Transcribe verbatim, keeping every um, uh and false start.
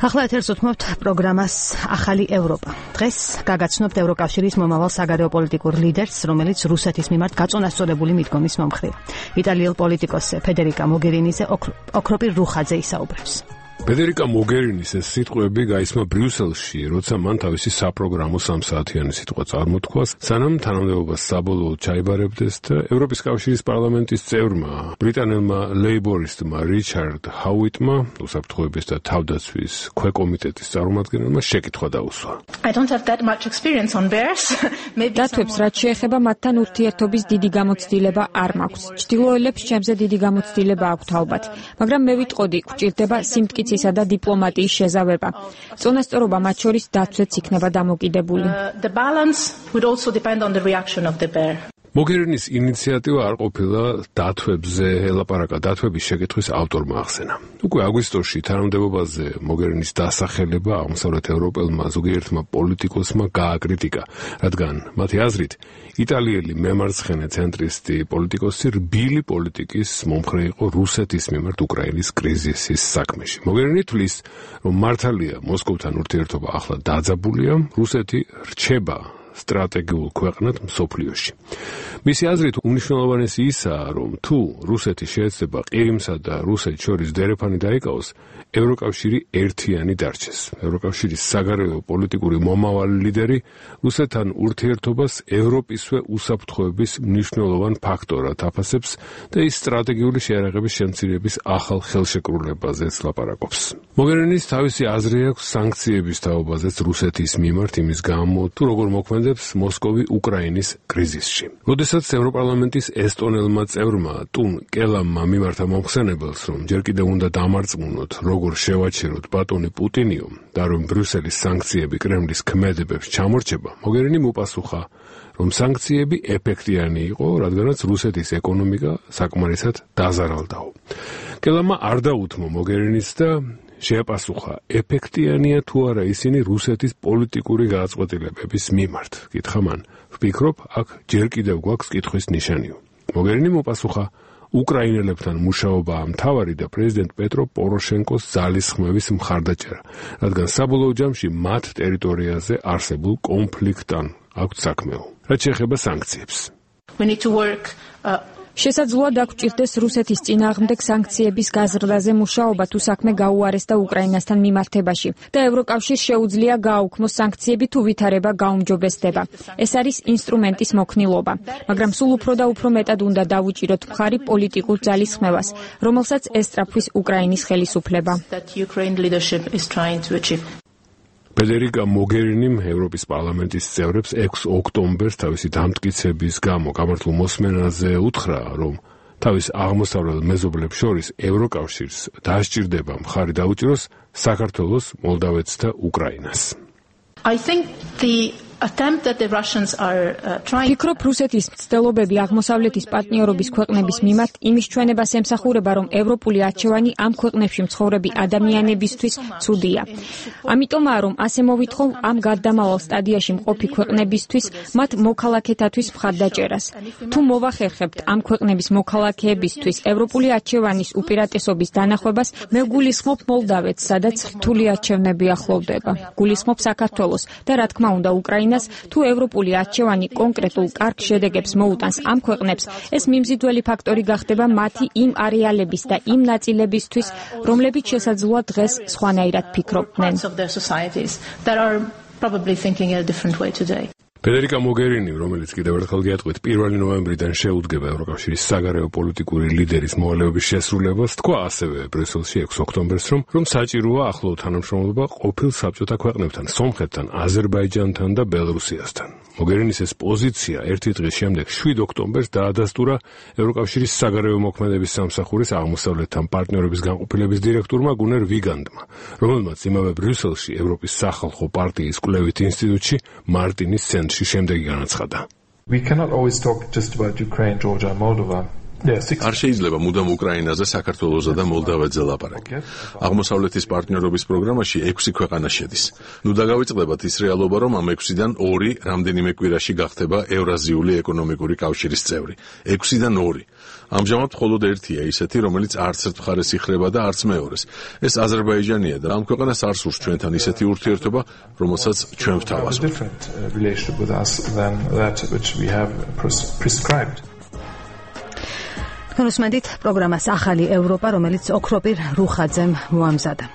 ახლა ეთერს უთმობთ პროგრამას ახალი ევროპა. დღეს გაგაცნობთ ევროკავშირის მომავალ საგარეო პოლიტიკურ ლიდერს, რომელიც რუსეთის მიმართ გაწონასწორებული მიდგომის მომხრეა. იტალიელ პოლიტიკოსზე ფედერიკა მოგერინიზე ოქროპირ რუხაძე ისაუბრებს. ფედერიკა მოგერინის ეს სიტყვები გაისმა ბრიუსელში, როცა მან თავისი საპროგრამო სამსაათიანი სიტყვა წარმოთქვას, სანამ თანამდებობას საბოლოოდ ჩაიბარებდეს და ევროპის კავშირის პარლამენტის წევრმა, ბრიტანელმა ლეიბორისტმა რიჩარდ ჰაუიტმა, უსაფრთხოების და თავდაცვის ქვეკომიტეტის წარმომადგენელმა შეკითხვა დაუსვა. დათვებს, რაც შეეხება მათთან ურთიერთობის დიდი გამოცდილება არ მაქვს. ჩრდილოელებს ჩემზე დიდი გამოცდილება აქვთ ალბათ, მაგრამ მე ვიტყოდი, გვჭირდება სიმტკიცისა და დიპლომატიის შეზავება. წონასწორობა მათ შორის დაცვაც იქნება დამოკიდებული. მოგერინის ინიციატივა არ ყოფილა დათვებზე ელაპარაკა, დათვების შეკითხვის ავტორმა ახსენა. უკვე აგვისტოში თანამდებობაზე მოგერინის დასახელება აღმოსავლეთ ევროპელმა ზოგიერთმა პოლიტიკოსმა გააკრიტიკა, რადგან მათი აზრით იტალიელი მემარცხენე ცენტრისტი პოლიტიკოსი რბილი პოლიტიკის მომხრე იყო რუსეთის მიმართ უკრაინის კრიზისის საქმეში. მოგერინი თვლის, რომ მართალია მოსკოვთან ურთიერთობა ახლა დაძაბულია, რუსეთი რჩება სტრატეგიულ ქვეყნად მსოფლიოში. მისი აზრით უმნიშვნელოვანესი ისაა, რომ თუ რუსეთი შეეცდება ყირიმსა და რუსეთს შორის დერეფანი დაიკავოს, ევროკავშირი ერთიანი დარჩეს. ევროკავშირის საგარეო პოლიტიკური მომავალი ლიდერი რუსეთთან ურთიერთობას ევროპისვე უსაფრთხოების მნიშვნელოვან ფაქტორად აფასებს და ის სტრატეგიული შეიარაღების შემცირების ახალ ხელშეკრულებაზეც ლაპარაკობს. მოგერინის თავისი აზრი აქვს სანქციების თაობაზეც რუსეთის მიმართ იმის გამო, თუ როგორ მოქმედებს მოსკოვი უკრაინის კრიზისში. როდესაც ევროპარლამენტის ესტონელმა წევრმა ტუნ კელამმა მიმართა მომხსენებელს, რომ ჯერ კიდევ უნდა დამარწმუნოთ, როგორ შევაჩეროთ ბატონი პუტინიო და რომ ბრიუსელის სანქციები კრემლის ქმედებებს ჩამორჩება, მოგერინი მოპასუხა, რომ სანქციები ეფექტიანი იყო, რადგანაც რუსეთის ეკონომიკა საკმარისად დაზარალდაო. კელამმა არ დაუთმო მოგერინის და შეაპასუხა, ეფექტიანია თუ არა ისინი რუსეთის პოლიტიკური გადაწყვეტილებების მიმართ. კითხა მან, ვფიქრობ, აქ ჯერ კიდევ გვაქვს კითხვის ნიშანიო. მოგერინი მოპასუხა, უკრაინელებთან მუშაობაა მთავარი და პრეზიდენტ პეტრო პოროშენკოს ძალისხმევის მხარდაჭერა, რადგან საბოლოო ჯამში მათ ტერიტორიაზე არსებულ კონფლიქტთან აქვთ საქმეო. რაც შეეხება სანქციებს. შესაძლოა დაგვჭირდეს რუსეთის წინააღმდეგ სანქციების გაზრდაზე მუშაობა თუ საქმე გაუარესდა უკრაინასთან მიმართებაში და ევროკავშირს შეუძლია გააუქმოს სანქციები თუ ვითარება გაუმჯობესდება. ეს არის ინსტრუმენტის მოქნილობა, მაგრამ სულ უფრო და უფრო მეტად უნდა დავუჭიროთ მხარი პოლიტიკურ ძალისხმევას, რომელსაც ესწრაფვის უკრაინის ხელისუფლება. ფედერიკა მოგერინიმ ევროპის პარლამენტის წევრებს ექვსი ოქტომბერს თავისი დამტკიცების გამო გამართულ მოსმენაზე უთხრა, რომ თავის აღმოსავლელ მეზობლებს შორის ევროკავშირს დასჭირდება მხარი დაუჭიროს საქართველოს, მოლდავეთს და უკრაინას. ფიქრობ, რუსეთის მცდელობები აღმოსავლეთის პარტნიორობის ქვეყნების მიმართ იმის ჩვენებას ემსახურება, რომ ევროპული არჩევანი ამ ქვეყნებში მცხოვრები ადამიანებისთვის ცუდია. ამიტომაა, რომ ასე მოვითხოვ ამ გარდამავალ სტადიაში მყოფი ქვეყნებისთვის მათ მოქალაქეთათვის მხარდაჭერას. თუ მოვახერხებთ ამ ქვეყნების მოქალაქეებისთვის ევროპული არჩევანის უპირატესობის დანახვებას, მე გულისხმობ მოლდავეთს, სადაც რთული არჩევნები ახლოვდება. გულისხმობ საქართველოს და რა თქმა უნდა უკრაინას. თუ ევროპული არჩევანი კონკრეტულ კარგ შედეგებს მოუტანს ამ ქვეყნებს, ეს მიმზიდველი ფაქტორი გახდება მათი იმ არეალების და იმ ნაწილებისთვის, რომლებიც შესაძლოა დღეს სხვანაირად ფიქრობდნენ. ფედერიკა მოგერინი, რომელიც კიდევ ერთხელ გეტყვით, პირველი ნოემბრიდან შეუდგება ევროკავშირის საგარეო პოლიტიკური ლიდერის მოვალეობის შესრულებას, თქვა ასევე ბრიუსელში ექვსი ოქტომბერს, რომ რომ საჭიროა ახლო თანამშრომლობა ყოფილ საბჭოთა ქვეყნებთან, სომხეთთან, აზერბაიჯანთან და ბელორუსიასთან. მოგერინის ეს პოზიცია ერთი დღის შემდეგ შვიდ ოქტომბერს დაადასტურა ევროკავშირის საგარეო მოქმედების სამსახურის აღმოსავლეთთან პარტნიორების განყოფილების დირექტორმა გუნერ ვიგანდმა, რომელმაც იმავე ბრიუსელში ევროპის სახალხო პარტიის კვლევით ინსტიტუტში მარტინის ცენტრში შემდეგი განაცხადა. We cannot always talk just about Ukraine, Georgia, Moldova. არ შეიძლება მუდამ უკრაინაზე, საქართველოსა და მოლდავეთზე ლაპარაკი. აღმოსავლეთის პარტნიორობის პროგრამაში ექვსი ქვეყანა შედის. ნუ დაგავიწყდებათ ის რეალობა, რომ ამ ექვსიდან ორი რამდენიმე კვირაში გახდება ევრაზიული ეკონომიკური კავშირის წევრი. ექვსიდან ორი. ამჟამად მხოლოდ ერთია ისეთი, რომელიც არც ერთ მხარეს იხრება და არც მეორეს. ეს აზერბაიჯანია და ამ ქვეყანას არ სურს ჩვენთან ისეთი ურთიერთობა, რომელსაც ჩვენ ვთავაზობთ. კონსუმენტით პროგრამას ახალი ევროპა, რომელიც ოქროპირ რუხაძემ მოამზადა.